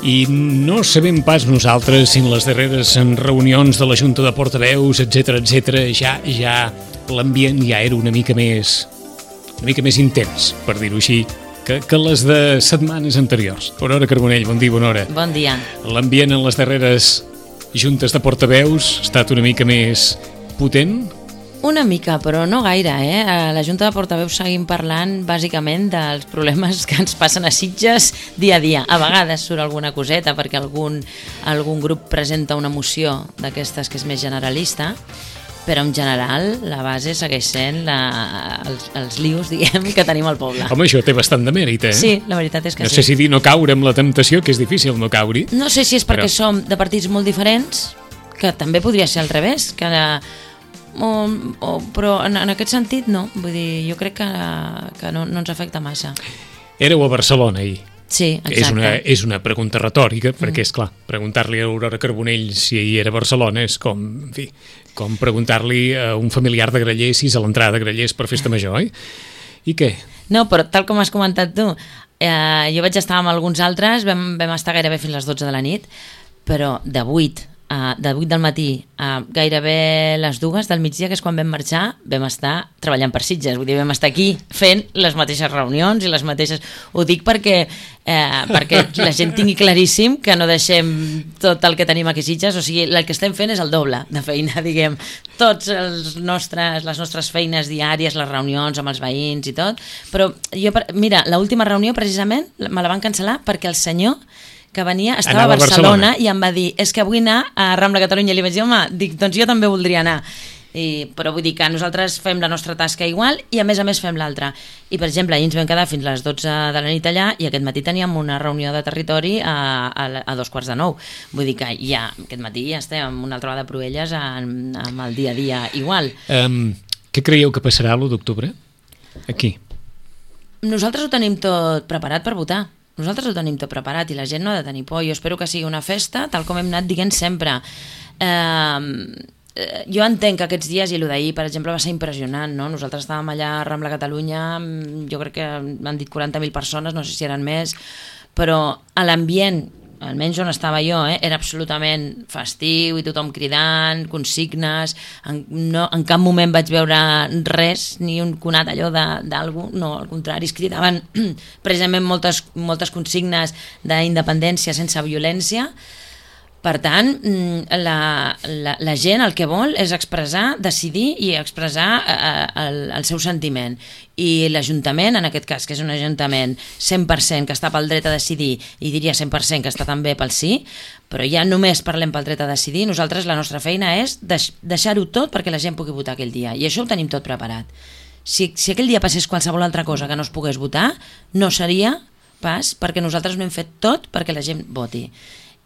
I no sabem pas nosaltres si en les darreres reunions de la Junta de Portaveus, etc, ja l'ambient ja era una mica més intens, per dir-ho així, que les de setmanes anteriors. Bona hora, Carbonell, bon dia, bona hora. Bon dia. L'ambient en les darreres juntes de portaveus ha estat una mica més potent? Una mica, però no gaire, A la Junta de Portaveus seguim parlant bàsicament dels problemes que ens passen a Sitges dia a dia. A vegades surt alguna coseta perquè algun grup presenta una moció d'aquestes que és més generalista, però en general la base segueix sent els lius, diguem, que tenim al poble. Home, això té bastant de mèrit, Sí, la veritat és que sí. No sé si dir no caure amb la temptació, que és difícil no caure-hi. No sé si és perquè som de partits molt diferents, que també podria ser al revés, però en aquest sentit no. Vull dir, jo crec que no ens afecta massa. Éreu a Barcelona ahir. Sí, exacte. És una pregunta retòrica, perquè, és clar, preguntar-li a Aurora Carbonell si ahir era a Barcelona és com preguntar-li a un familiar de Grallers si és a l'entrada de Grallers per festa major, oi? I què? No, però tal com has comentat tu, jo vaig estar amb alguns altres, vam estar gairebé fins les 12 de la nit, però de 8 del matí a gairebé les 2 del migdia, que és quan vam marxar, vam estar treballant per Sitges. Vull dir, vam estar aquí fent les mateixes reunions i les mateixes... Ho dic perquè la gent tingui claríssim que no deixem tot el que tenim aquí a Sitges, o sigui, el que estem fent és el doble de feina, diguem. Tots les nostres feines diàries, les reunions amb els veïns i tot, però mira, l'última reunió precisament me la van cancel·lar perquè el senyor que venia, estava a Barcelona i em va dir, és que vull anar a Rambla Catalunya, i li vaig dir, home, doncs jo també voldria anar. Però vull dir que nosaltres fem la nostra tasca igual i a més fem l'altra. I per exemple, ahir ens vam quedar fins les 12 de la nit allà i aquest matí teníem una reunió de territori a 8:45. Vull dir que ja aquest matí ja estem amb una altra vegada de Proelles amb el dia a dia igual. Què creieu que passarà l'1 d'octubre? Aquí. Nosaltres ho tenim tot preparat per votar. Nosaltres ho tenim tot preparat i la gent no ha de tenir por. Jo espero que sigui una festa, tal com hem anat dient sempre. Jo entenc que aquests dies, i el d'ahir, per exemple, va ser impressionant, no? Nosaltres estàvem allà a Rambla Catalunya, jo crec que m'han dit 40.000 persones, no sé si eren més, però a l'ambient, almenys on estava jo, era absolutament festiu i tothom cridant, consignes, en cap moment vaig veure res, ni un conat allò d'algú, no, al contrari, es cridaven precisament moltes consignes d'independència sense violència. Per tant, la gent el que vol és expressar, decidir i expressar el seu sentiment. I l'Ajuntament, en aquest cas, que és un Ajuntament 100% que està pel dret a decidir, i diria 100% que està també pel sí, però ja només parlem pel dret a decidir, nosaltres la nostra feina és deixar-ho tot perquè la gent pugui votar aquell dia. I això ho tenim tot preparat. Si aquell dia passés qualsevol altra cosa que no es pogués votar, no seria pas perquè nosaltres no hem fet tot perquè la gent voti.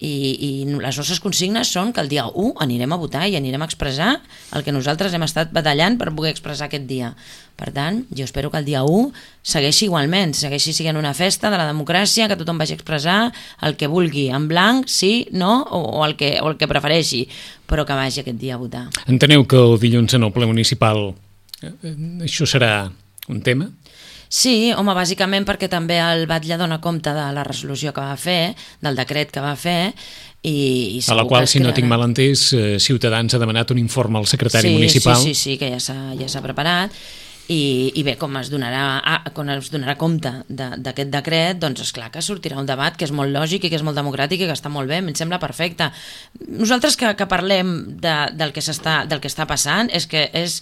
I les nostres consignes són que el dia 1 anirem a votar i anirem a expressar el que nosaltres hem estat batallant per poder expressar aquest dia. Per tant, jo espero que el dia 1 segueixi igualment, segueixi sent una festa de la democràcia, que tothom vagi a expressar el que vulgui, en blanc, sí, no, o el que prefereixi, però que vagi aquest dia a votar. Enteneu que el dilluns en el ple municipal això serà un tema? Sí, home, bàsicament perquè també el batlle dona compte de la resolució que va fer, del decret que va fer, i a la qual, si no tinc mal entès, Ciutadans ha demanat un informe al secretari municipal. Sí, que ja s'ha preparat, i bé, com es donarà compte d'aquest decret, doncs esclar que sortirà un debat que és molt lògic i que és molt democràtic i que està molt bé, em sembla perfecte. Nosaltres que parlem del que està passant és que és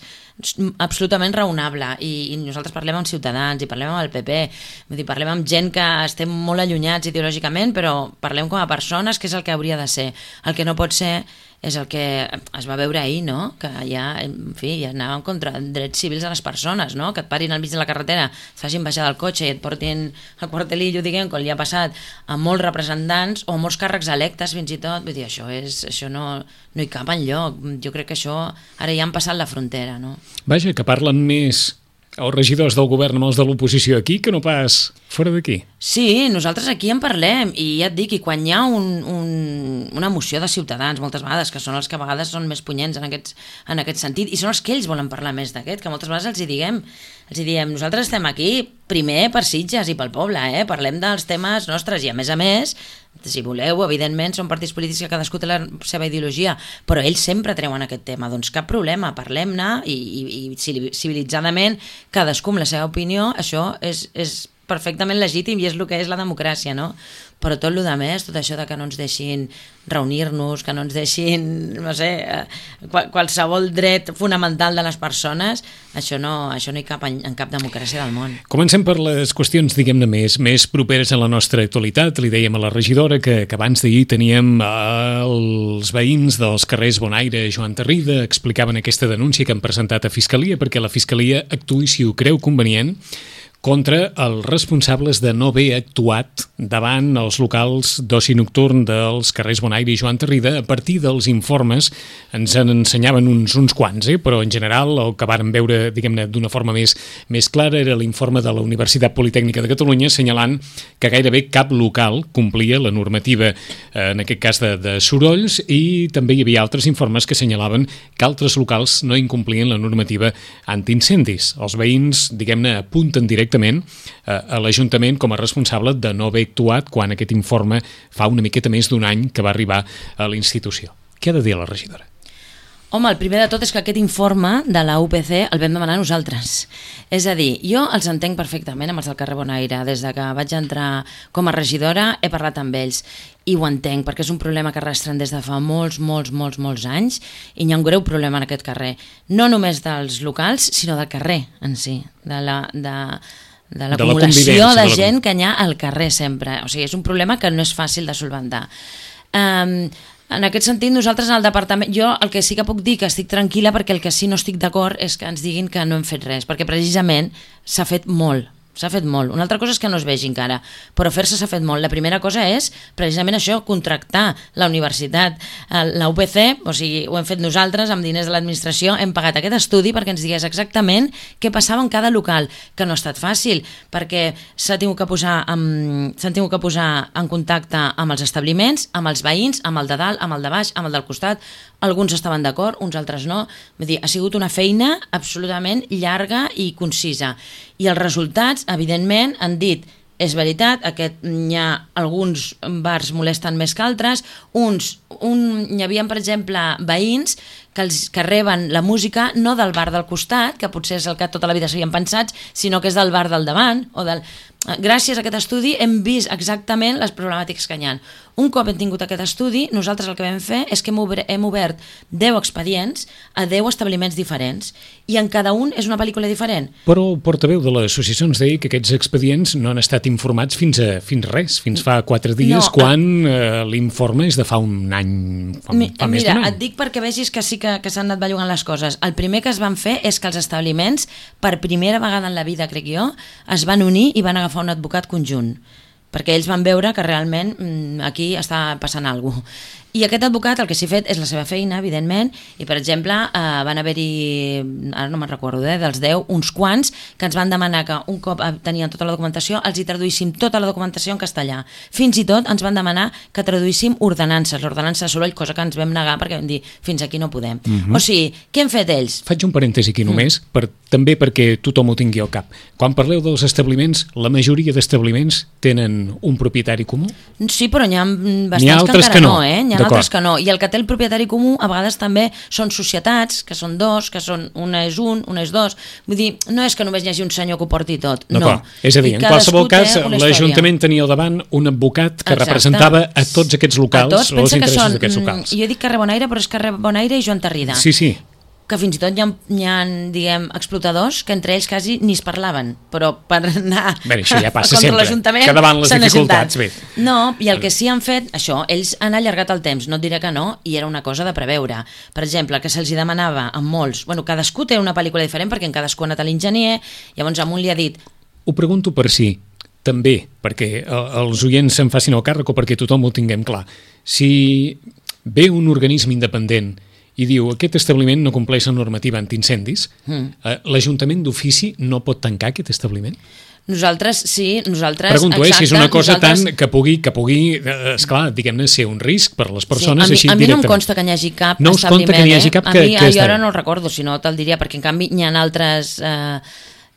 absolutament raonable, i nosaltres parlem amb Ciutadans i parlem amb el PP, vull dir, parlem amb gent que estem molt allunyats ideològicament, però parlem com a persones, que és el que hauria de ser. El que no pot ser és el que es va veure ahir, no? Que ja anàvem contra drets civils de les persones, no? Que et parin al mig de la carretera, et facin baixar del cotxe i et portin al quartelillo, diguem, com li ha passat a molts representants o molts càrrecs electes fins i tot. Vull dir, això no hi cap enlloc. Jo crec que això ara ja han passat la frontera, no? Vaja, que parlen més els regidors del govern amb els de l'oposició aquí que no pas fora d'aquí. Sí, nosaltres aquí en parlem, i ja et dic, i quan hi ha una moció de Ciutadans moltes vegades, que són els que a vegades són més punyents en aquest sentit, i són els que ells volen parlar més d'aquest, que moltes vegades els hi diem, nosaltres estem aquí primer per Sitges i pel poble, parlem dels temes nostres, i a més si voleu, evidentment, són partits polítics que cadascú té la seva ideologia, però ells sempre treuen aquest tema. Doncs cap problema, parlem-ne i civilitzadament, cadascú amb la seva opinió, això és perfectament legítim i és el que és la democràcia, no? Però tot el més, tot això de que no ens deixin reunir-nos, que no ens deixin, no sé, qualsevol dret fonamental de les persones, això no hi cap en cap democràcia del món. Comencem per les qüestions, diguem-ne, més properes a la nostra actualitat. Li dèiem a la regidora que abans d'ahir teníem els veïns dels carrers Bonaire, Joan Tarrida, explicaven aquesta denúncia que han presentat a Fiscalia perquè la Fiscalia actuï, si ho creu convenient, contra els responsables de no haver actuat davant els locals d'oci nocturn dels carrers Bonaire i Joan Tarrida. A partir dels informes ens en ensenyaven uns quants, però en general el que vàrem veure, diguem-ne, d'una forma més clara era l'informe de la Universitat Politècnica de Catalunya assenyalant que gairebé cap local complia la normativa, en aquest cas de sorolls, i també hi havia altres informes que assenyalaven que altres locals no incomplien la normativa antiincendis. Els veïns, diguem-ne, apunten directament a l'Ajuntament com a responsable de no haver actuat quan aquest informe fa una miqueta més d'un any que va arribar a la institució. Què ha de dir la regidora? Home, el primer de tot és que aquest informe de la UPC el vam demanar nosaltres. És a dir, jo els entenc perfectament amb els del carrer Bonaire. Des de que vaig entrar com a regidora he parlat amb ells i ho entenc, perquè és un problema que arrastren des de fa molts anys i hi ha un greu problema en aquest carrer. No només dels locals, sinó del carrer en si, de l'acumulació de gent que hi ha al carrer sempre. O sigui, és un problema que no és fàcil de solventar. En aquest sentit, nosaltres al departament, jo el que sí que puc dir que estic tranquil·la, perquè el que sí no estic d'acord és que ens diguin que no hem fet res, perquè precisament s'ha fet molt. Una altra cosa és que no es vegi encara, però fer-se s'ha fet molt. La primera cosa és precisament això, contractar la universitat, la UPC, o sigui, ho hem fet nosaltres amb diners de l'administració, hem pagat aquest estudi perquè ens digués exactament què passava en cada local, que no ha estat fàcil, perquè s'han tingut que posar en contacte amb els establiments, amb els veïns, amb el de dalt, amb el de baix, amb el del costat. Alguns estaven d'acord, uns altres no. Vull dir, ha sigut una feina absolutament llarga i concisa. I els resultats, evidentment, han dit és veritat, hi ha alguns bars molesten més que altres, hi havia, per exemple, veïns que reben la música no del bar del costat, que potser és el que tota la vida s'havien pensat, sinó que és del bar del davant. Gràcies a aquest estudi hem vist exactament les problemàtiques que hi ha. Un cop hem tingut aquest estudi, nosaltres el que vam fer és que hem obert 10 expedients a 10 establiments diferents i en cada un és una pel·lícula diferent. Però el portaveu de l'associació ens deia que aquests expedients no han estat informats fins fa 4 dies, quan l'informe és de fa un any, fa més d'un any. Mira, et dic perquè vegis que sí que s'han anat bellugant les coses. El primer que es van fer és que els establiments, per primera vegada en la vida, crec jo, es van unir i van agafar un advocat conjunt, perquè ells van veure que realment aquí està passant alguna cosa. I aquest advocat el que s'ha fet és la seva feina, evidentment, i per exemple van haver-hi, ara no me'n recordo, dels 10, uns quants que ens van demanar que un cop tenien tota la documentació els hi traduïssim tota la documentació en castellà. Fins i tot ens van demanar que traduïssim ordenances, l'ordenança de soroll, cosa que ens vam negar perquè vam dir fins aquí no podem. O sigui, què han fet ells? Faig un parèntesi aquí només, també perquè tothom ho tingui al cap. Quan parleu dels establiments, la majoria d'establiments tenen un propietari comú? Sí, però n'hi ha bastants que encara no, N'hi ha altres que no. I el que té el propietari comú a vegades també són societats, que són dos, que són una és un, una és dos. Vull dir, no és que només hi hagi un senyor que ho porti tot, no. És a dir, en qualsevol cas, l'Ajuntament tenia al davant un advocat que representava a tots aquests locals, o els interessos d'aquests locals. Jo dic carrer Bonaire, però és carrer Bonaire i Joan Tarrida. Sí. Que fins i tot hi ha, diguem, explotadors que entre ells quasi ni es parlaven, però per anar això ja passa contra l'Ajuntament que davant les dificultats. No, i el que sí han fet, això, ells han allargat el temps, no et diré que no, i era una cosa de preveure. Per exemple, que se'ls demanava amb molts, cadascú té una pel·lícula diferent perquè en cadascú ha anat a l'enginyer, llavors amunt li ha dit... Ho pregunto per si, també, perquè els oients se'n facin el càrrec o perquè tothom ho tinguem clar. Si ve un organisme independent i diu aquest establiment no compleix la normativa antiincendis, l'Ajuntament d'ofici no pot tancar aquest establiment? Nosaltres, sí, Pregunto, si és una cosa tan que pugui, esclar, diguem-ne, ser un risc per les persones així directament. A mi no em consta que n'hi hagi cap establiment. No us consta que n'hi hagi cap que jo ara no el recordo, si no te'l diria, perquè en canvi n'hi ha altres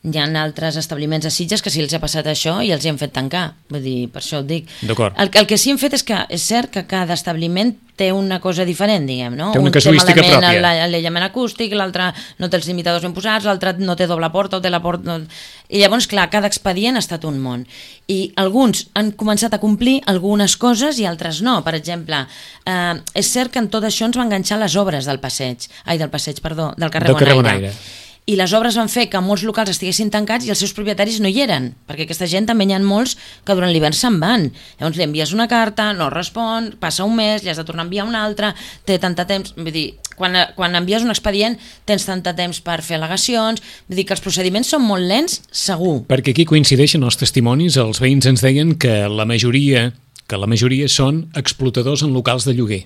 Hi ha altres establiments a Sitges que sí els ha passat això i els hi han fet tancar. Vull dir, per això ho dic. D'acord. El que sí hem fet és que és cert que cada establiment té una cosa diferent, diguem, no? Té una casuística pròpia. L'aïllament acústic, l'altre no té els limitadors ben posats, l'altre no té doble porta o té la porta... I llavors, clar, cada expedient ha estat un món. I alguns han començat a complir algunes coses i altres no. Per exemple, és cert que en tot això ens va enganxar les obres del carrer Bonaire. I les obres van fer que molts locals estiguessin tancats i els seus propietaris no hi eren, perquè aquesta gent també hi ha molts que durant l'hivern se'n van. Llavors li envies una carta, no respon, passa un mes, li has de tornar a enviar una altra, té tant de temps... Vull dir, quan envies un expedient tens tant de temps per fer al·legacions, vull dir que els procediments són molt lents, segur. Perquè aquí coincideixen els testimonis, els veïns ens deien que la majoria són explotadors en locals de lloguer.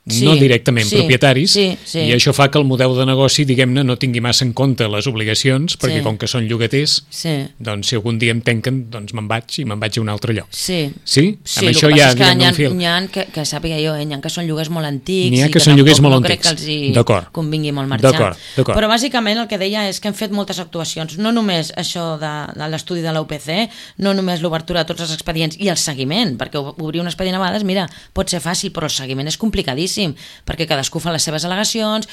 Sí, no directament propietaris, sí. I això fa que el model de negoci, diguem-ne, no tingui massa en compte les obligacions, perquè com que són llogaters, doncs si algun dia em tanquen, doncs me'n vaig a un altre lloc. Sí? Amb això ja diguem un fil. N'hi ha que sàpiga jo, n'hi ha que són lloguers molt antics i que tampoc no crec que els hi convingui molt marxar. D'acord. Però bàsicament el que deia és que hem fet moltes actuacions, no només això de l'estudi de la UPC, no només l'obertura de tots els expedients i el seguiment, perquè obrir un expedient a vegades, mira, pot ser fàcil, però el seguiment és complicadíssim, perquè cadascú fa les seves al·legacions,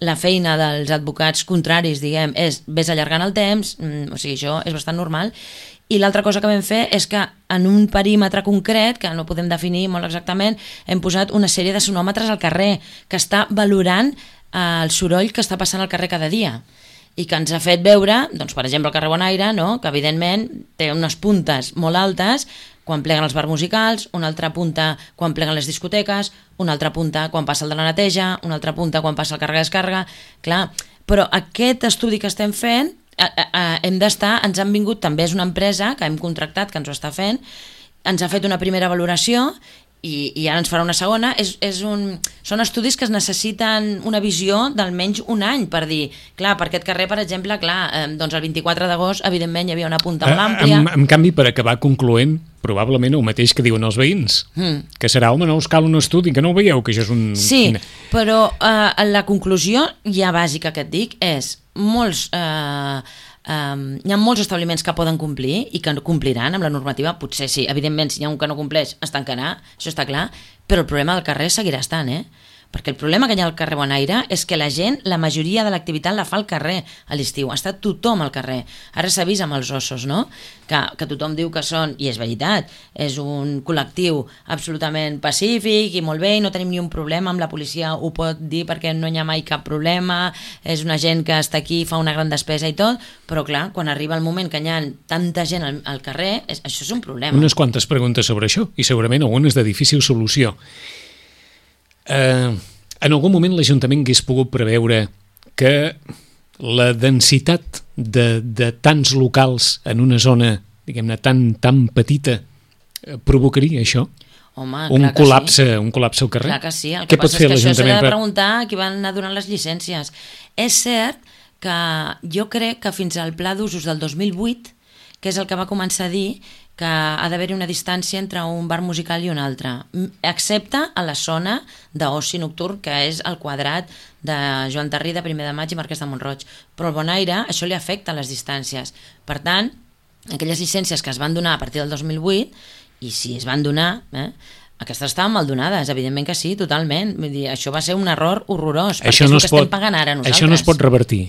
la feina dels advocats contraris, diguem, és vés allargant el temps, o sigui, això és bastant normal. I l'altra cosa que vam fer és que en un perímetre concret, que no podem definir molt exactament, hem posat una sèrie de sonòmetres al carrer que està valorant el soroll que està passant al carrer cada dia i que ens ha fet veure, doncs, per exemple, el carrer Bonaire, no? Que evidentment té unes puntes molt altes quan pleguen els bars musicals, una altra punta quan pleguen les discoteques, una altra punta quan passa el de la neteja, una altra punta quan passa el càrrega-descàrrega, clar, però aquest estudi que estem fent, ens han vingut, també és una empresa que hem contractat, que ens ho està fent, ens ha fet una primera valoració i ara ens farà una segona. Són estudis que es necessiten una visió d'almenys un any per dir, clar, per aquest carrer, per exemple, doncs el 24 d'agost evidentment hi havia una punta molt àmplia. En canvi, per acabar concloent, probablement el mateix que diuen els veïns, que serà, home, no us cal un estudi, que no ho veieu, que això és un... Sí, però la conclusió ja bàsica que et dic és hi ha molts establiments que poden complir i que compliran amb la normativa, potser sí, evidentment si hi ha un que no compleix es tancarà, això està clar, però el problema del carrer seguirà estant, perquè el problema que hi ha al carrer Bonaire és que la gent, la majoria de l'activitat la fa al carrer a l'estiu, està tothom al carrer. Ara s'ha vist amb els ossos, no? Que tothom diu que són, i és veritat, és un col·lectiu absolutament pacífic i molt bé, i no tenim ni un problema amb la policia, ho pot dir perquè no hi ha mai cap problema, és una gent que està aquí, fa una gran despesa i tot, però clar, quan arriba el moment que hi ha tanta gent al carrer, això és un problema. Unes quantes preguntes sobre això, i segurament algunes de difícil solució. En algun moment l'Ajuntament hagués pogut preveure que la densitat de tants locals en una zona, diguem-ne, tan petita provocaria això? Home, un col·lapse al carrer? Clar que sí, el que passa és que això s'ha de preguntar a qui van anar donant les llicències. És cert que jo crec que fins al pla d'usos del 2008, que és el que va començar a dir que ha d'haver-hi una distància entre un bar musical i un altre, excepte a la zona d'oci nocturn, que és el quadrat de Joan Tarrí, de Primer de Maig i Marquès de Montroig. Però al Bonaire això li afecta les distàncies. Per tant, aquelles llicències que es van donar a partir del 2008, i si es van donar, aquestes estaven mal donades, evidentment que sí, totalment. Vull dir, això va ser un error horrorós, perquè és el que estem pagant ara nosaltres. Això no es pot revertir.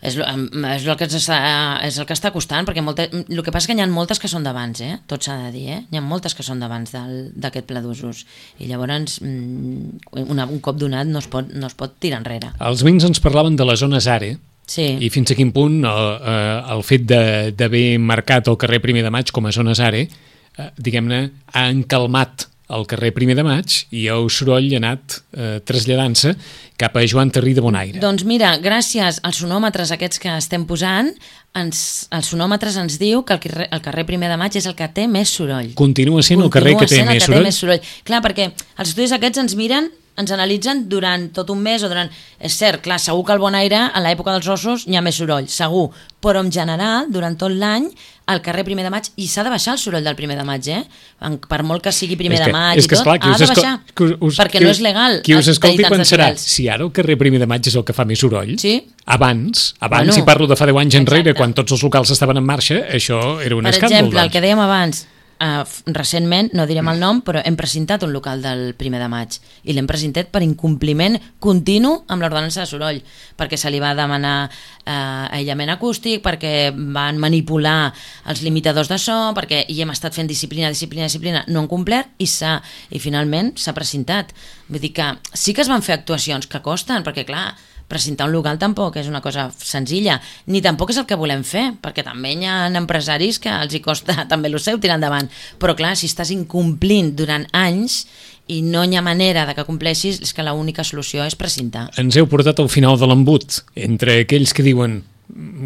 És el que està costant, perquè el que passa és que hi ha moltes que són d'abans, tot s'ha de dir, hi ha moltes que són d'abans d'aquest pla d'usos, i llavors un cop donat no es pot tirar enrere. Els veïns ens parlaven de les zones ARE, sí. I fins a quin punt el fet d'haver marcat el carrer Primer de Maig com a zones ARE, diguem-ne, ha encalmat al carrer Primer de Maig i el soroll ha anat traslladant-se cap a Joan Tarrí de Bonaire. Doncs mira, gràcies als sonòmetres aquests que estem posant, els sonòmetres ens diu que el carrer Primer de Maig és el que té més soroll. Continua sent el carrer que té més soroll? Clar, perquè els estudis aquests ens ens analitzen durant tot un mes o durant... És cert, clar, segur que al Bonaire, en l'època dels ossos, hi ha més soroll, segur, però en general, durant tot l'any, al carrer 1 de maig, i s'ha de baixar el soroll del 1 de maig, per molt que sigui 1 de maig i tot, ha de baixar, perquè no és legal. Qui us escolti pensarà, si ara el carrer 1 de maig és el que fa més soroll, abans, si parlo de fa 10 anys enrere, quan tots els locals estaven en marxa, això era un escàndol. Per exemple, el que dèiem abans, recentment, no direm el nom, però hem precintat un local del 1 de maig i l'hem precintat per incompliment continu amb l'ordenança de soroll, perquè se li va demanar aïllament acústic, perquè van manipular els limitadors de so, i hem estat fent disciplina, no han complert i finalment s'ha precintat. Vull dir que sí que es van fer actuacions que costen, perquè clar, precintar un local tampoc és una cosa senzilla, ni tampoc és el que volem fer, perquè també hi ha empresaris que els hi costa també el seu tirar endavant, però clar, si estàs incomplint durant anys i no hi ha manera de que compleixis, és que l'única solució és precintar. Ens heu portat al final de l'embut, entre aquells que diuen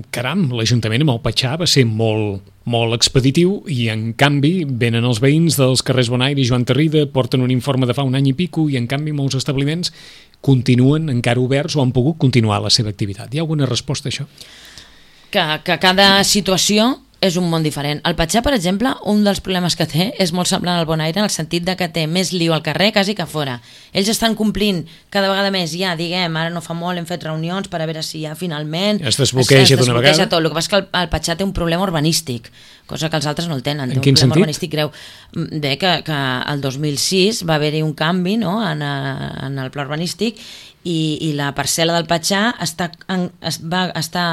caram, l'Ajuntament amb el Patxà va ser molt expeditiu i en canvi venen els veïns dels carrers Bonaire i Joan Tarrida, porten un informe de fa un any i pico i en canvi molts establiments continuen encara oberts o han pogut continuar la seva activitat. Hi ha alguna resposta a això? Que cada situació és un món diferent. El Patxà, per exemple, un dels problemes que té és molt semblant al Bonaire en el sentit de que té més lío al carrer quasi que fora. Ells estan complint cada vegada més, diguem, ara no fa molt, hem fet reunions per a veure si ja finalment es desbloqueja d'una vegada. Tot. El que passa és que el Patxà té un problema urbanístic, cosa que els altres no el tenen. En quin sentit? Urbanístic greu. Bé, que el 2006 va haver-hi un canvi en el pla urbanístic i la parcel·la del Patxà va estar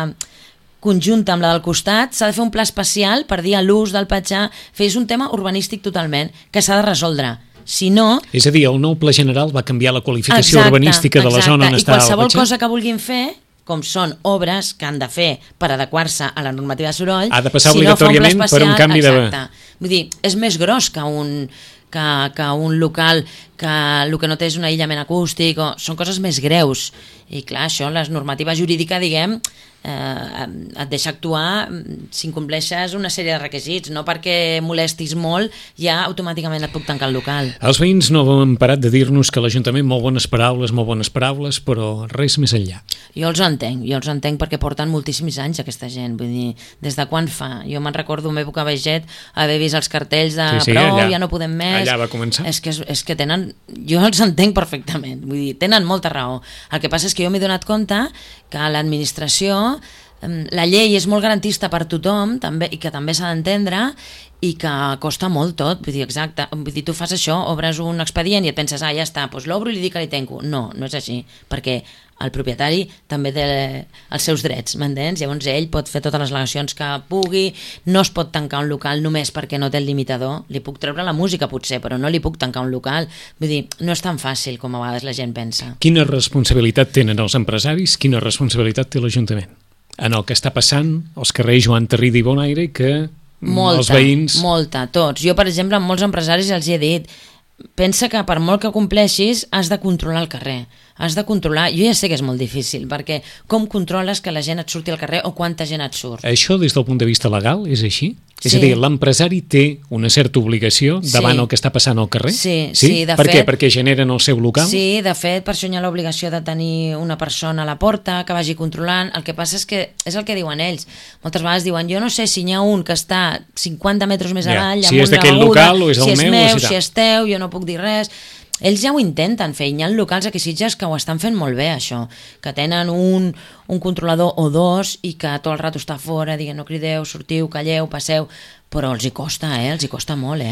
conjunta amb la del costat, s'ha de fer un pla especial per dir a l'ús del Patxà, és un tema urbanístic totalment, que s'ha de resoldre. Si no... És a dir, el nou pla general va canviar la qualificació urbanística de la zona on està el Patxà. I qualsevol cosa que vulguin fer, com són obres que han de fer per adequar-se a la normativa de soroll, ha de passar obligatòriament per un canvi de... Vull dir, és més gros que un local que el que no té és un aïllament acústic, són coses més greus. I clar, això, la normativa jurídica, diguem, et deixa actuar si incompleixes una sèrie de requisits, no perquè molestis molt ja automàticament et puc tancar el local. Els veïns no han parat de dir-nos que l'Ajuntament molt bones paraules, però res més enllà. Jo els entenc perquè porten moltíssims anys aquesta gent, vull dir, des de quan fa? Jo me'n recordo en època Baiget haver vist els cartells de prou, allà, ja no podem més. Allà va començar. És que tenen, jo els entenc perfectament, vull dir, tenen molta raó. El que passa és que jo m'he donat compte que l'administració, la llei és molt garantista per tothom també, i que també s'ha d'entendre i que costa molt tot, vull dir, exacte, vull dir, tu fas això, obres un expedient i et penses, ja està, doncs l'obro i li dic que li tanco. No, no és així, perquè el propietari també té els seus drets, m'entens? Llavors ell pot fer totes les al·legacions que pugui, no es pot tancar un local només perquè no té el limitador, li puc treure la música potser, però no li puc tancar un local, vull dir, no és tan fàcil com a vegades la gent pensa. Quina responsabilitat tenen els empresaris, quina responsabilitat té l'Ajuntament en el que està passant als carrers Joan Tarrida i Bonaire, que els veïns... Molta, tots. Jo, per exemple, amb molts empresaris els he dit, pensa que per molt que compleixis has de controlar el carrer, has de controlar, jo ja sé que és molt difícil, perquè com controles que la gent et surti al carrer o quanta gent et surt? Això des del punt de vista legal és així? Sí. És a dir, l'empresari té una certa obligació davant el que està passant al carrer? Sí, de per fet... Què? Perquè generen el seu local? Sí, de fet, per això hi ha l'obligació de tenir una persona a la porta que vagi controlant. El que passa és que és el que diuen ells. Moltes vegades diuen, jo no sé si n'hi ha un que està 50 metres més avall, si és d'aquell local o és el meu, si és meu, si és teu, jo no puc dir res. Ells ja ho intenten fer, hi ha locals aquí a Sitges que ho estan fent molt bé, això, que tenen un controlador o dos i que tot el rato està fora, dient no crideu, sortiu, calleu, passeu, però els hi costa, els hi costa molt,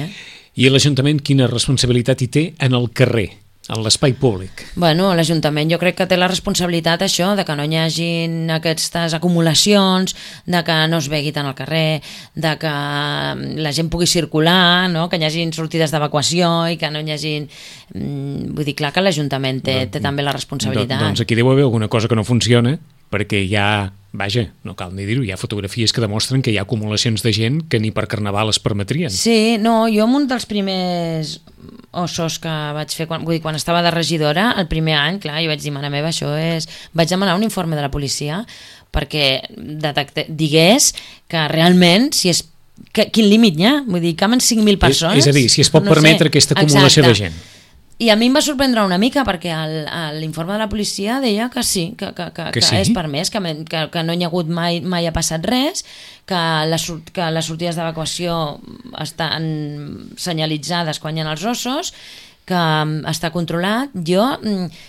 I l'Ajuntament quina responsabilitat hi té en el carrer, en l'espai públic? Bueno, l'Ajuntament jo crec que té la responsabilitat això, de que no hi hagin aquestes acumulacions, de que no es begui tant al carrer, de que la gent pugui circular, no? Que hi hagin sortides d'evacuació i que no hi hagin... Vull dir, clar que l'Ajuntament té també la responsabilitat. Doncs aquí deu haver alguna cosa que no funciona, perquè hi ha, vaja, no cal ni dir-ho, hi ha fotografies que demostren que hi ha acumulacions de gent que ni per carnaval es permetrien. Sí, no, jo en un dels primers ossos que vaig fer, quan estava de regidora, el primer any, clar, jo vaig dir, mare meva, això és... Vaig demanar un informe de la policia perquè digués que realment, si és... Quin límit hi ha? Vull dir, caben 5.000 persones? És a dir, si es pot permetre aquesta acumulació de gent. I a mi em va sorprendre una mica perquè l'informe de la policia deia que sí, que sí? és permès, que no hi ha hagut mai ha passat res, que les sortides d'evacuació estan senyalitzades quan hi ha els ossos, que està controlat. Jo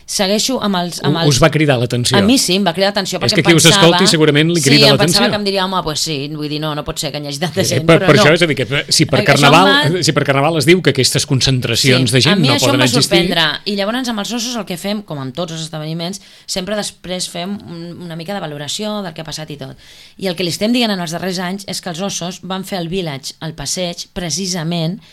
segueixo amb els... Us va cridar l'atenció? A mi sí, em va cridar l'atenció perquè és que qui us escolti segurament li crida l'atenció. Sí, em pensava que em diria, home, pues sí, vull dir, no pot ser que hi hagi tanta gent, per però no. això, és a dir, que si per Carnaval es diu que aquestes concentracions de gent no poden existir... A mi això em va sorprendre, i llavors amb els ossos el que fem, com amb tots els esdeveniments, sempre després fem una mica de valoració del que ha passat i tot. I el que li estem dient en els darrers anys és que els ossos van fer el village, el passeig, precisament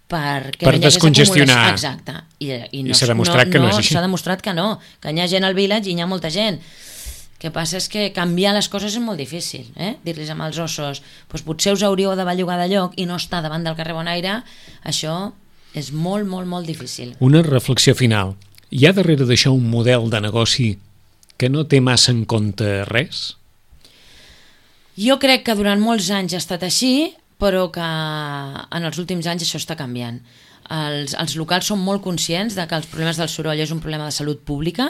per descongestionar. Exacte. I s'ha demostrat que no és així. S'ha demostrat que no, que hi ha gent al village i hi ha molta gent. El que passa és que canviar les coses és molt difícil, dir-los amb els ossos, doncs potser us hauríeu de bellugar de lloc i no estar davant del carrer Bonaire, això és molt, molt, molt difícil. Una reflexió final. Hi ha darrere d'això un model de negoci que no té massa en compte res? Jo crec que durant molts anys ha estat així, però que en els últims anys això està canviant. Els locals són molt conscients de que els problemes del soroll és un problema de salut pública,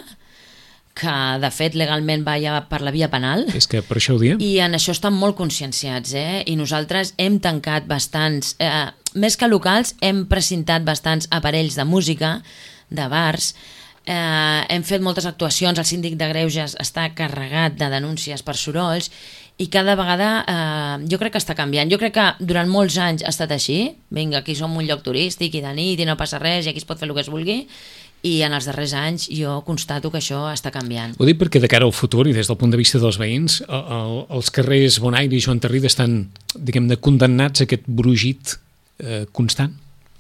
que de fet legalment va ja per la via penal. És que per això ho diem. I en això estan molt conscienciats, i nosaltres hem tancat bastants, més que locals, hem precintat bastants aparells de música, de bars, hem fet moltes actuacions, el síndic de Greuges està carregat de denúncies per sorolls, i cada vegada jo crec que està canviant. Jo crec que durant molts anys ha estat així. Vinga, aquí som un lloc turístic i de nit i no passa res i aquí es pot fer el que es vulgui, i en els darrers anys jo constato que això està canviant. Ho dic perquè de cara al futur i des del punt de vista dels veïns, els carrers Bonaire i Joan Tarrida estan, diguem-ne, condemnats a aquest brugit constant?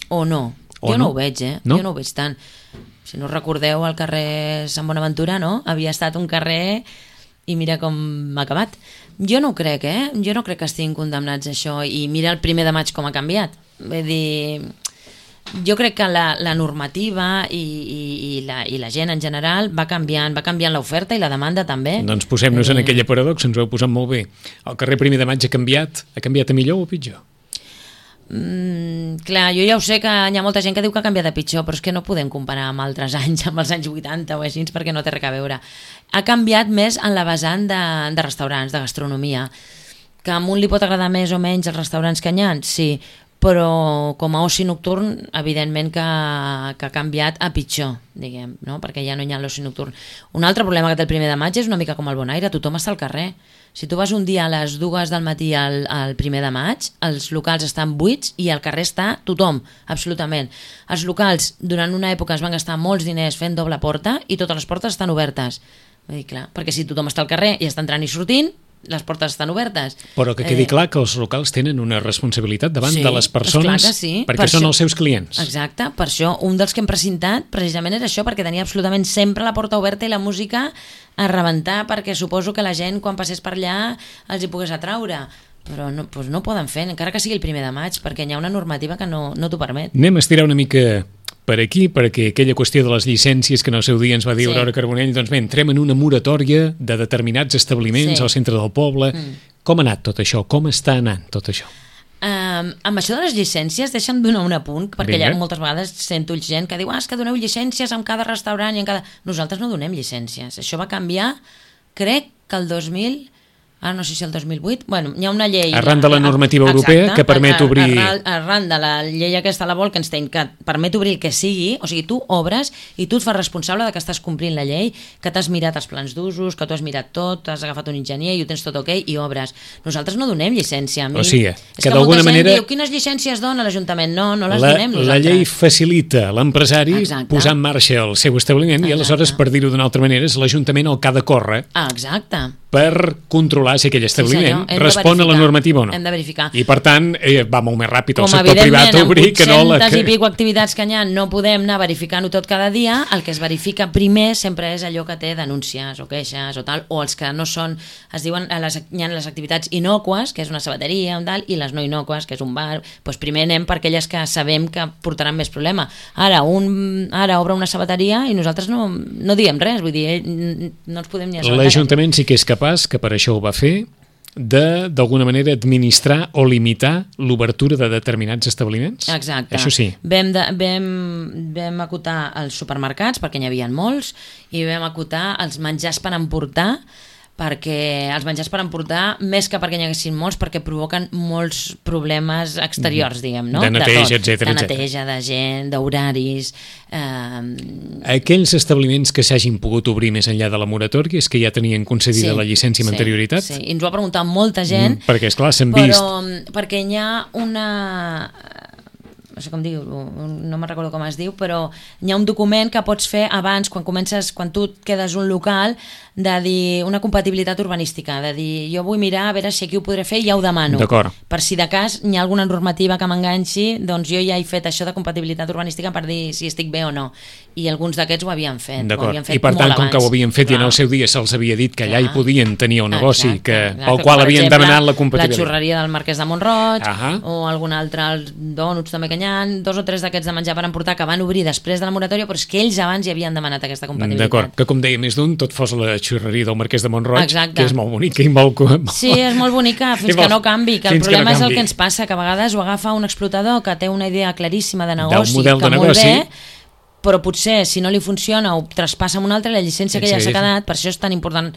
O no. Jo no ho veig, No? Jo no ho veig tant. Si no recordeu, el carrer Sant Bonaventura, no? Havia estat un carrer i mira com ha acabat. Jo no ho crec, Jo no crec que estiguin condemnats a això, i mira el 1 de maig com ha canviat. Vull dir, jo crec que la normativa i la gent en general va canviant l'oferta i la demanda també. Doncs posem-nos en aquella paradoxa, ens ho heu posat molt bé. El carrer 1 de maig ha canviat a millor o a pitjor? Clar, jo ja ho sé que hi ha molta gent que diu que ha canviat de pitjor, però és que no podem comparar amb altres anys, amb els anys 80 o així, perquè no té res a veure. Ha canviat més en la vessant de restaurants, de gastronomia, que a un li pot agradar més o menys els restaurants que hi ha, sí, però com a oci nocturn evidentment que ha canviat a pitjor, diguem, no? Perquè ja no hi ha l'oci nocturn. Un altre problema que té el 1 de maig és una mica com el Bonaire, tothom està al carrer. Si tu vas un dia a les 2 del matí al 1 de maig, els locals estan buits i al carrer està tothom, absolutament. Els locals durant una època es van gastar molts diners fent doble porta i totes les portes estan obertes. Vull dir, clar, perquè si tothom està al carrer i està entrant i sortint, les portes estan obertes. Però que quedi clar que els locals tenen una responsabilitat davant de les persones, perquè són els seus clients. Exacte, per això un dels que hem precintat precisament era això, perquè tenia absolutament sempre la porta oberta i la música a rebentar, perquè suposo que la gent quan passés per allà els hi pogués atraure. Però no, doncs no poden fer, encara que sigui el 1 de maig, perquè hi ha una normativa que no t'ho permet. Anem a estirar una mica per aquí, perquè aquella qüestió de les llicències que en el seu dia ens va dir Aurora Carbonell, doncs bé, entrem en una moratòria de determinats establiments al centre del poble. Com ha anat tot això? Com està anant tot això? Amb això de les llicències, deixa'm donar un apunt, perquè moltes vegades sento gent que diu és que doneu llicències en cada restaurant i en cada... Nosaltres no donem llicències. Això va canviar, crec que el 2000... Ara no sé si el 2008, bueno, hi ha una llei... Arran de la normativa europea que permet obrir... Arran de la llei aquesta, la Bolkestein, que permet obrir el que sigui, o sigui, tu obres i tu et fas responsable de que estàs complint la llei, que t'has mirat els plans d'usos, que tu has mirat tot, t'has agafat un enginyer i ho tens tot ok i obres. Nosaltres no donem llicència. O sigui, que d'alguna manera... Diu, quines llicències dona l'Ajuntament? No les donem nosaltres. La llei facilita l'empresari posar en marxa el seu establiment i aleshores, per dir-ho d'una altra manera, és l'Ajuntament el que ha de córrer per controlar si aquell establiment respon a la normativa o no. Hem de verificar. I per tant, va molt més ràpid el sector privat a obrir que no la... Com evidentment, amb 800 i pico activitats que hi ha, no podem anar verificant-ho tot cada dia. El que es verifica primer sempre és allò que té denúncies o queixes o tal, o els que no són, es diuen, hi ha les activitats innocues, que és una sabateria, i les no innocues, que és un bar. Doncs primer anem per aquelles que sabem que portaran més problema. Ara obre una sabateria i nosaltres no diem res, vull dir, no ens podem ni assabentar. L'Ajuntament sí que és capaç, que per això ho va fer, d'alguna manera, administrar o limitar l'obertura de determinats establiments? Exacte. Això sí. Vam acotar els supermercats, perquè n'hi havia molts, i vam acotar els menjars per emportar, perquè els menjars per emportar, més que perquè n'hi haguessin molts, perquè provoquen molts problemes exteriors, diguem, no? De neteja, etcètera. De neteja, de gent, d'horaris... Aquells establiments que s'hagin pogut obrir més enllà de la moratòria és que ja tenien concedida la llicència amb anterioritat? Sí, i ens ho ha preguntat molta gent. Perquè, esclar, s'han vist... Perquè hi ha una... no sé com diu, no me'n recordo com es diu, però hi ha un document que pots fer abans, quan tu et quedes un local, de dir una compatibilitat urbanística, de dir jo vull mirar a veure si aquí ho podré fer i ja ho demano. D'acord. Per si de cas hi ha alguna normativa que m'enganxi, doncs jo ja he fet això de compatibilitat urbanística per dir si estic bé o no. I alguns d'aquests ho havien fet. D'acord. I per tant, com que ho havien fet i en el seu dia se'ls havia dit que allà hi podien tenir un negoci pel qual havien demanat la compatibilitat. La xurreria del Marquès de Mont-roig, o algun altre, els dònuts també que n'hi ha, 2 o 3 d'aquests de menjar per emportar que van obrir després de la moratòria, però és que ells abans hi havien demanat aquesta compatibilitat. D'acord, que com deia més d'un, tot fos la xurreria del Marquès de Mont-roig, que és molt bonica i molt... Sí, és molt bonica, fins que no canvi, que el problema és el que ens passa, que a vegades ho agafa un explotador que té una idea claríssima de negoci, que molt bé, però potser si no li funciona ho traspassa amb un altre, la llicència que ja s'ha quedat, per això és tan important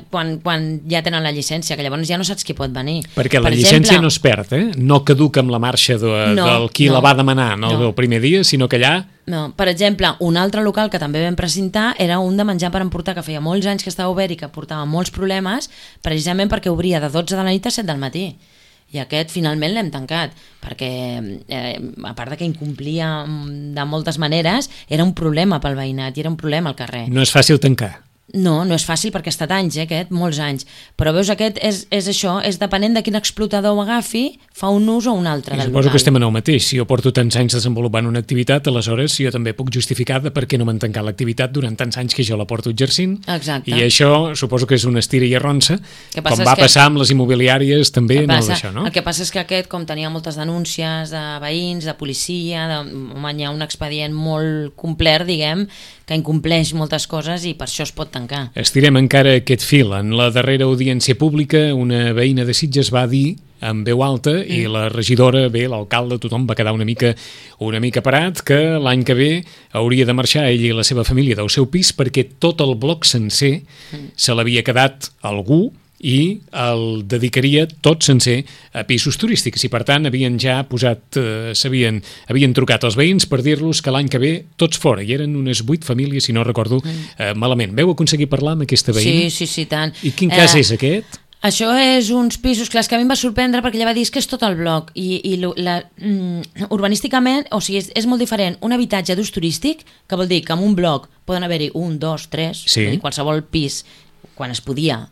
quan ja tenen la llicència, que llavors ja no saps qui pot venir. Perquè la llicència no es perd, no caduca amb la marxa del qui la va demanar el primer dia, sinó que allà... No, per exemple, un altre local que també vam presentar era un de menjar per emportar, que feia molts anys que estava obert i que portava molts problemes, precisament perquè obria de 12 de la nit a 7 del matí. I aquest finalment l'hem tancat, perquè a part de que incomplia de moltes maneres, era un problema pel veïnat i era un problema al carrer. No és fàcil tancar. No, no és fàcil perquè ha estat anys, aquest, molts anys. Però veus, aquest és això, és depenent de quin explotador ho agafi, fa un ús o un altre del local. Suposo que estem en el mateix. Si jo porto tants anys desenvolupant una activitat, aleshores jo també puc justificar de per què no m'han tancat l'activitat durant tants anys que jo la porto exercint. Exacte. I això suposo que és una estira i arronsa, com va passar amb les immobiliàries també en això, no? El que passa és que aquest, com tenia moltes denúncies de veïns, de policia, hi ha un expedient molt complet, diguem, que incompleix moltes coses i per això es pot tancar. Estirem encara aquest fil. En la darrera audiència pública, una veïna de Sitges va dir amb veu alta i la regidora, l'alcalde, tothom va quedar una mica parat, que l'any que ve hauria de marxar ell i la seva família del seu pis perquè tot el bloc sencer se l'havia quedat algú i el dedicaria tot sencer a pisos turístics i per tant havien ja posat havien trucat als veïns per dir-los que l'any que ve tots fora, i eren unes 8 famílies si no recordo malament. Veu aconseguir parlar amb aquesta veïna? Sí, tant. I quin cas és aquest? Això és uns pisos, clar, que a mi em va sorprendre perquè ella va dir que és tot el bloc i urbanísticament, o sigui, és molt diferent un habitatge d'ús turístic, que vol dir que en un bloc poden haver-hi 1, 2, 3, qualsevol pis, quan es podia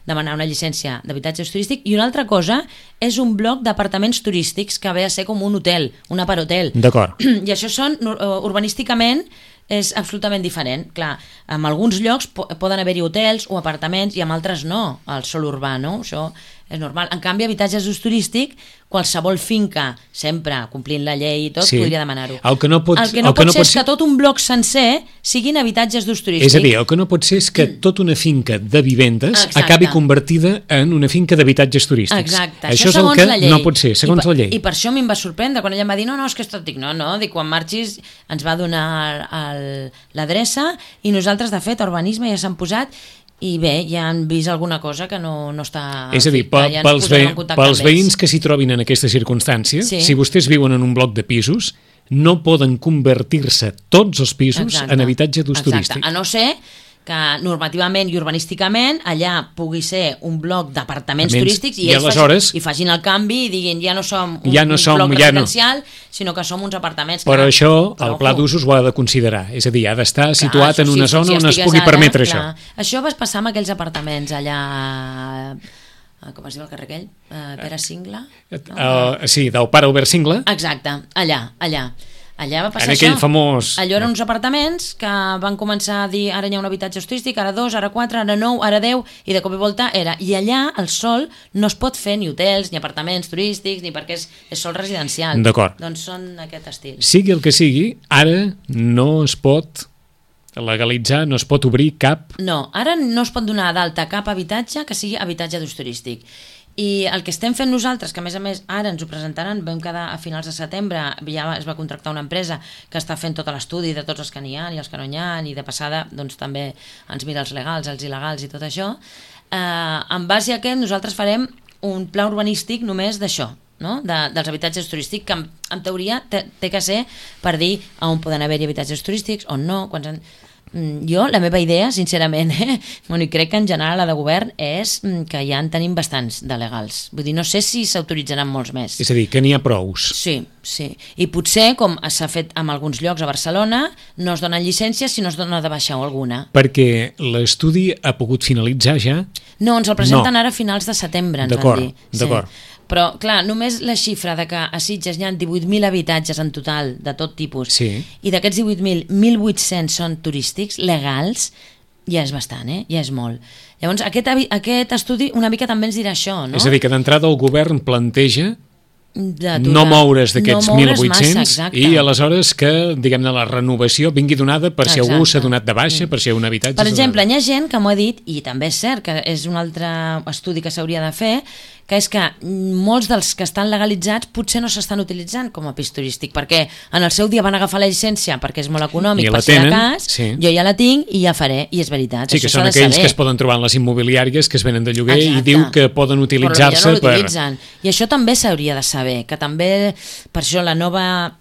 demanar una llicència d'habitatge turístic, i una altra cosa és un bloc d'apartaments turístics que ve a ser com un hotel, un aparhotel. D'acord. I això són, urbanísticament, és absolutament diferent. Clar, en alguns llocs poden haver-hi hotels o apartaments i en altres no, al sol urbà, no? Això és normal. En canvi, habitatges d'ús turístic, qualsevol finca, sempre complint la llei i tot, podria demanar-ho. El que no pot ser és que tot un bloc sencer siguin habitatges d'ús turístic. És a dir, el que no pot ser és que tota una finca de vivendes acabi convertida en una finca d'habitatges turístics. Exacte. Això és el que no pot ser, segons la llei. I per això a mi em va sorprendre, quan ella em va dir no, és que és tot, dic, no, dic, quan marxis ens va donar l'adreça i nosaltres, de fet, a urbanisme ja s'han posat. I bé, ja han vist alguna cosa que no està... És a dir, pels veïns que s'hi trobin en aquesta circumstància, si vostès viuen en un bloc de pisos, no poden convertir-se tots els pisos en habitatge d'ús turístic. A no ser que normativament i urbanísticament allà pugui ser un bloc d'apartaments turístics i ells facin el canvi i diguin ja no som un bloc residencial, sinó que som uns apartaments. Però això el pla d'usos ho ha de considerar, és a dir, ha d'estar situat en una zona on es pugui permetre això. Això va passar amb aquells apartaments allà... com es diu el carrer aquell? Pere Singla? Sí, del pare Albert Singla. Exacte, allà va passar en aquell famós... Allò eren uns apartaments que van començar a dir ara hi ha un habitatge turístic, ara 2, ara 4, ara 9, ara 10, i de cop i volta era... I allà, al sol, no es pot fer ni hotels, ni apartaments turístics, ni perquè és sol residencial. D'acord. Doncs són aquest estil. Sigui el que sigui, ara no es pot legalitzar, no es pot obrir cap... No, ara no es pot donar d'alta cap habitatge que sigui habitatge d'ús turístic. I el que estem fent nosaltres, que a més ara ens ho presentaran, vam quedar a finals de setembre, ja es va contractar una empresa que està fent tot l'estudi de tots els que n'hi ha i els que no n'hi ha, i de passada doncs, també ens mira els legals, els il·legals i tot això. En base a aquest nosaltres farem un pla urbanístic només d'això, no? Dels habitatges turístics, que en teoria té que ser per dir on poden haver-hi habitatges turístics, on no, jo, la meva idea, sincerament, bueno, i crec que en general la de govern és que ja en tenim bastants de legals. Vull dir, no sé si s'autoritzaran molts més. És a dir, que n'hi ha prous. Sí. I potser, com s'ha fet en alguns llocs a Barcelona, no es donen llicències si no es dona de baixa alguna. Perquè l'estudi ha pogut finalitzar ja? No, ens el presenten ara a finals de setembre, ens van dir. D'acord. Però, clar, només la xifra de que a Sitges hi ha 18.000 habitatges en total, de tot tipus, i d'aquests 18.000, 1.800 són turístics, legals, ja és bastant, ja és molt. Llavors, aquest estudi una mica també ens dirà això, no? És a dir, que d'entrada el govern planteja no moure's d'aquests 1.800 i aleshores que, diguem-ne, la renovació vingui donada per si algú s'ha donat de baixa, per si un habitatge... Per exemple, hi ha gent que m'ho ha dit, i també és cert que és un altre estudi que s'hauria de fer, que és que molts dels que estan legalitzats potser no s'estan utilitzant com a pis turístic, perquè en el seu dia van agafar la llicència perquè és molt econòmic, per si de cas, jo ja la tinc i ja faré, i és veritat. Sí, que són aquells que es poden trobar en les immobiliàries que es venen de lloguer i diu que poden utilitzar-se per... I això també s'hauria de saber, que també, per això la nova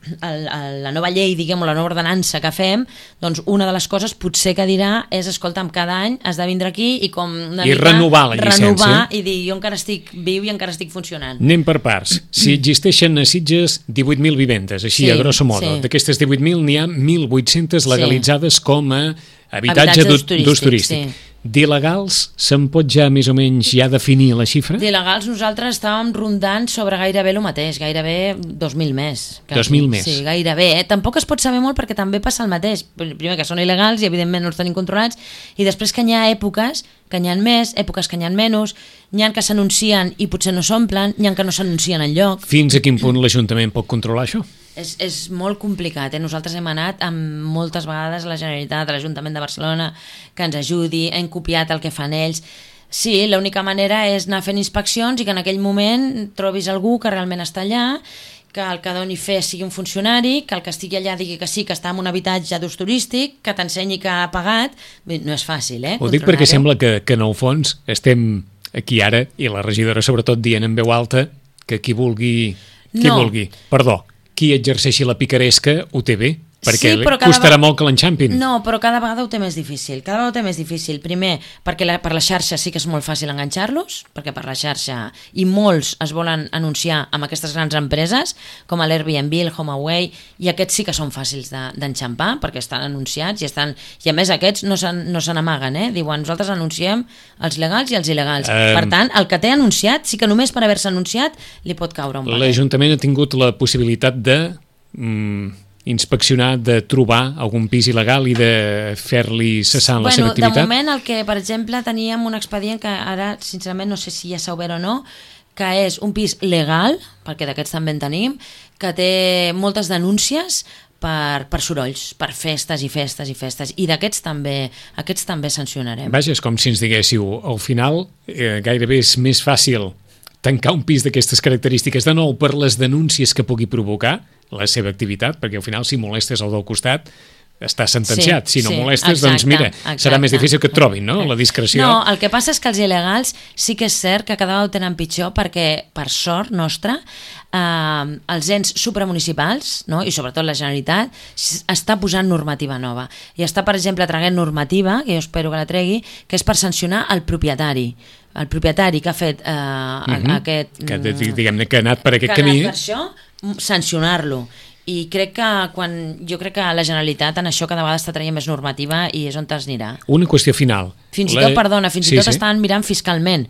llei, diguem, la nova ordenança que fem, doncs una de les coses potser que dirà és, escolta'm, cada any has de vindre aquí i com una mica renovar la llicència. Renovar i dir, jo encara estic viu i encara estic funcionant. Anem per parts. Si existeixen a Sitges 18.000 vivendes, així a grosso modo, d'aquestes 18.000 n'hi ha 1.800 legalitzades com a habitatge d'ús turístic. D'il·legals, se'n pot ja més o menys ja definir la xifra? D'il·legals nosaltres estàvem rondant sobre gairebé el mateix, gairebé 2.000 més. 2.000 més? Sí, gairebé. Tampoc es pot saber molt perquè també passa el mateix. Primer que són il·legals i evidentment no els tenim controlats, i després que n'hi ha èpoques que n'hi ha més, èpoques que n'hi ha menys, n'hi ha que s'anuncien i potser no s'omplen, n'hi ha que no s'anuncien enlloc. Fins a quin punt l'Ajuntament pot controlar això? És molt complicat. Nosaltres hem anat moltes vegades a la Generalitat, a l'Ajuntament de Barcelona, que ens ajudi, hem copiat el que fan ells. Sí, l'única manera és anar fent inspeccions i que en aquell moment trobis algú que realment està allà, que el que doni fe sigui un funcionari, que el que estigui allà digui que sí, que està en un habitatge d'ús turístic, que t'ensenyi que ha pagat. No és fàcil, Ho dic perquè sembla que en el fons estem aquí ara, i la regidora sobretot dient en veu alta, que qui vulgui... qui exerceixi la picaresca ho té bé, perquè costarà molt que l'enxampin. No, però cada vegada ho té més difícil. Primer, perquè per la xarxa sí que és molt fàcil enganxar-los, perquè per la xarxa, i molts es volen anunciar amb aquestes grans empreses, com l'Airbnb, el HomeAway, i aquests sí que són fàcils d'enxampar, perquè estan anunciats, i a més aquests no se n'amaguen, diuen, nosaltres anunciem els legals i els il·legals. Per tant, el que té anunciat, sí que només per haver-se anunciat li pot caure un paquet. L'Ajuntament ha tingut la possibilitat de... inspeccionar, de trobar algun pis il·legal i de fer-li cessar la seva activitat? De moment, el que, per exemple, teníem un expedient que ara, sincerament, no sé si ja s'ha obert o no, que és un pis legal, perquè d'aquests també en tenim, que té moltes denúncies per sorolls, per festes i festes i festes, i d'aquests també sancionarem. Vaja, és com si ens diguéssiu, al final gairebé és més fàcil tancar un pis d'aquestes característiques de nou per les denúncies que pugui provocar la seva activitat, perquè al final si molestes el del costat està sentenciat, si no molestes, doncs mira, serà més difícil que et trobin, no?, la discreció. No, el que passa és que els il·legals sí que és cert que cada vegada ho tenen pitjor, perquè per sort nostra els ens supramunicipals, no?, i sobretot la Generalitat, està posant normativa nova, i està, per exemple, traient normativa, que jo espero que la tregui, que és per sancionar el propietari que ha fet aquest... Diguem-ne que ha anat per aquest camí. Per això, sancionar-lo. I jo crec que la Generalitat en això cada vegada està traient més normativa i és on t'anirà. Una qüestió final. Fins i tot estan mirant fiscalment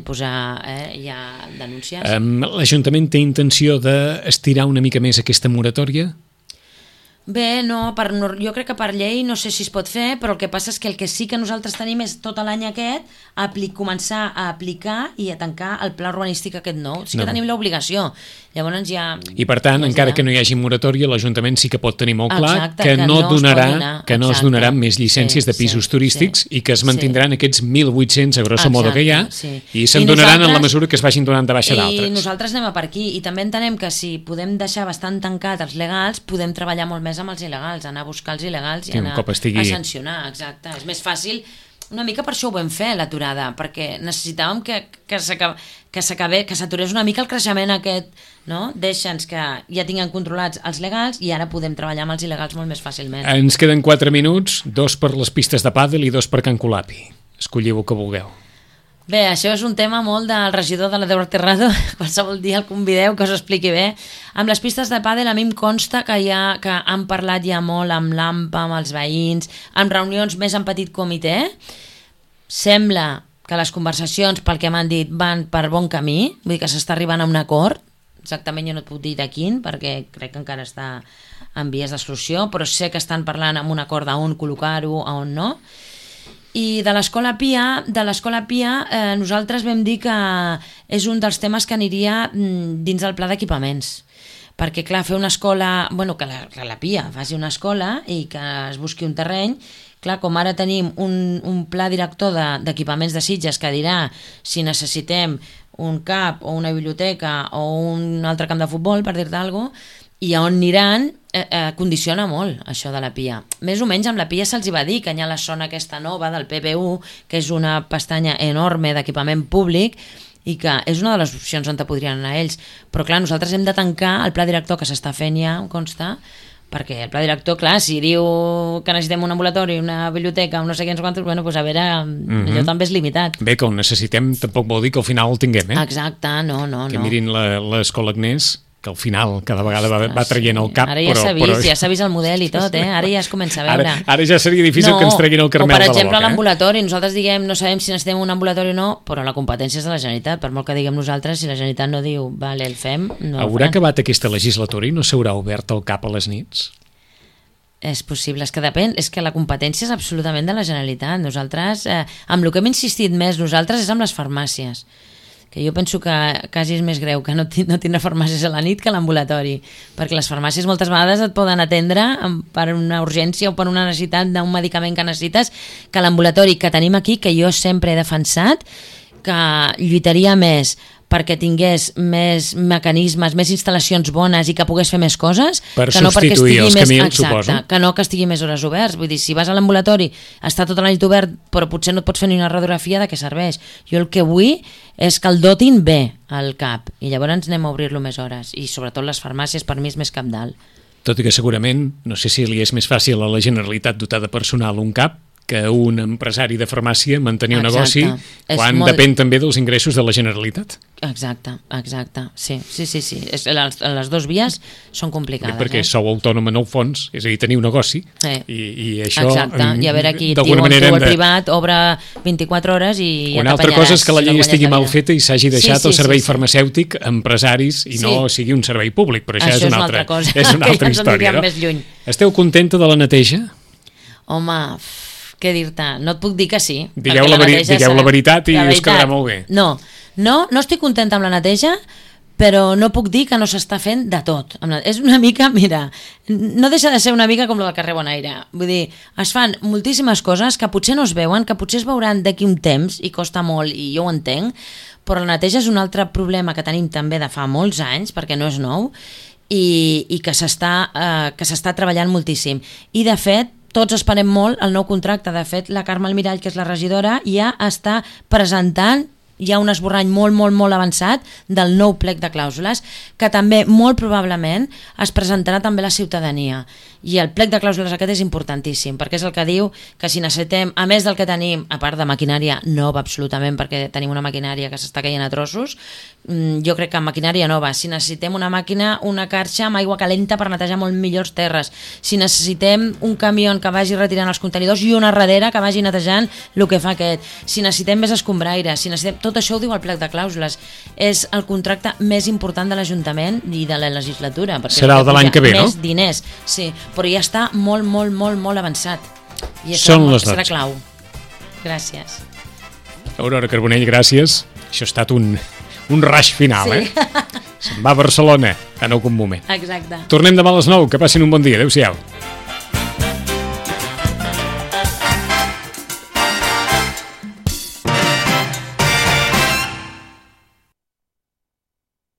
posar ja denúncies. L'Ajuntament té intenció d'estirar una mica més aquesta moratòria? Bé, no, jo crec que per llei no sé si es pot fer, però el que passa és que el que sí que nosaltres tenim és tot l'any aquest començar a aplicar i a tancar el pla urbanístic aquest nou. Sí que tenim l'obligació. Llavors ja... I per tant, encara que no hi hagi moratòria, l'Ajuntament sí que pot tenir molt clar que no es donaran més llicències de pisos turístics i que es mantindran aquests 1.800 a grosso modo que hi ha i se'n donaran en la mesura que es vagin donant de baixa d'altres. I nosaltres anem a per aquí i també entenem que si podem deixar bastant tancat els legals, podem treballar molt més amb els il·legals, anar a buscar els il·legals i anar a sancionar, exacte. És més fàcil. Una mica per això ho vam fer, l'aturada, perquè necessitàvem que s'aturés una mica el creixement aquest, no? Deixa'ns que ja tinguem controlats els legals i ara podem treballar amb els il·legals molt més fàcilment. Ens queden 4 minuts, 2 per les pistes de pàdel i 2 per Can Colapi. Escolliu el que vulgueu. Bé, això és un tema molt del regidor de la Déu Terrado, qualsevol dia el convideu que us expliqui bé. Amb les pistes de pàdel a mi em consta que han parlat ja molt amb l'AMPA, amb els veïns, en reunions més en petit comitè. Sembla que les conversacions, pel que m'han dit, van per bon camí, vull dir que s'està arribant a un acord, exactament jo no et puc dir de quin, perquè crec que encara està en vies de solució, però sé que estan parlant amb un acord d'on col·locar-ho, on no. I de l'Escola Pia, nosaltres vam dir que és un dels temes que aniria dins del pla d'equipaments. Perquè, clar, fer una escola... que la Pia faci una escola i que es busqui un terreny. Clar, com ara tenim un pla director d'equipaments de Sitges que dirà si necessitem un CAP o una biblioteca o un altre camp de futbol, per dir-te alguna cosa, i a on aniran condiciona molt això de la Pia. Més o menys amb la Pia se'ls va dir que hi ha la zona aquesta nova del PPU, que és una pestanya enorme d'equipament públic i que és una de les opcions on podrien anar ells. Però clar, nosaltres hem de tancar el pla director que s'està fent ja, em consta, perquè el pla director, clar, si diu que necessitem un ambulatori, una biblioteca, no sé què, quantos, doncs a veure, allò també és limitat. Bé, que ho necessitem tampoc vol dir que al final el tinguem, eh? Exacte, no. Que mirin l'Escola Agnès, que al final cada vegada va traient el cap. Ara ja s'ha vist el model i tot, ara ja es comença a veure. Ara ja seria difícil que ens treguin el carmel de la boca. O per exemple l'ambulatori, nosaltres diguem, no sabem si necessitem un ambulatori o no, però la competència és de la Generalitat, per molt que diguem nosaltres, si la Generalitat no diu, vale, el fem, no el Haurà acabat aquesta legislatura i no s'haurà obert el cap a les nits? És possible, és que depèn, és que la competència és absolutament de la Generalitat. Nosaltres, amb el que hem insistit més nosaltres és amb les farmàcies, que jo penso que quasi és més greu que no tindre farmàcies a la nit que a l'ambulatori, perquè les farmàcies moltes vegades et poden atendre per una urgència o per una necessitat d'un medicament que necessites, que l'ambulatori que tenim aquí, que jo sempre he defensat, que lluitaria més perquè tingués més mecanismes, més instal·lacions bones i que pogués fer més coses, per que no substituir els camions, suposo. Que no que estigui més hores oberts. Vull dir, si vas a l'ambulatori, està tota la nit obert, però potser no et pots fer ni una radiografia, de què serveix? Jo el que vull és que el dotin bé al CAP, i llavors anem a obrir-lo més hores, i sobretot les farmàcies per mi és més cabdal. Tot i que segurament, no sé si li és més fàcil a la Generalitat dotar de personal un CAP que un empresari de farmàcia mantenir un negoci quan depèn també dels ingressos de la Generalitat. Exacte, sí. Les dues vies són complicades. Perquè sou autònom en el fons, és a dir, teniu negoci, i això... Exacte, i a veure aquí el privat obre 24 hores i ja una altra cosa és que la llei estigui mal feta i s'hagi deixat el servei farmacèutic a empresaris i no sigui un servei públic, però això és una altra cosa, és una altra història. Esteu contenta de la neteja? Home, què dir-te? No et puc dir que sí. Digueu la veritat i us quedarà molt bé. No estic contenta amb la neteja, però no puc dir que no s'està fent de tot. És una mica, mira, no deixa de ser una mica com la del carrer Bonaire. Vull dir, es fan moltíssimes coses que potser no es veuen, que potser es veuran d'aquí un temps i costa molt, i jo ho entenc, però la neteja és un altre problema que tenim també de fa molts anys, perquè no és nou, i que s'està treballant moltíssim. I de fet, tots esperem molt el nou contracte. De fet, la Carme Almirall, que és la regidora, ja està presentant ja un esborrany molt avançat del nou plec de clàusules, que també molt probablement es presentarà també a la ciutadania. I el plec de clàusules aquest és importantíssim, perquè és el que diu que si necessitem, a més del que tenim, a part de maquinària nova absolutament, perquè tenim una maquinària que s'està caient a trossos, jo crec que maquinària nova, si necessitem una màquina, una carxa amb aigua calenta per netejar molt millors terres, si necessitem un camió que vagi retirant els contenidors i una darrere que vagi netejant el que fa aquest, si necessitem més escombraire, si necessitem tot això ho diu el plec de clàusules. És el contracte més important de l'Ajuntament i de la legislatura. Serà el de l'any que ve, no? Més diners, sí, però ja està molt, molt, molt, molt avançat. I això serà clau. Gràcies. Aurora Carbonell, gràcies. Això ha estat un rush final, sí. Se'n va a Barcelona en algun moment. Exacte. Tornem demà a les 9, que passin un bon dia. Adéu-siau.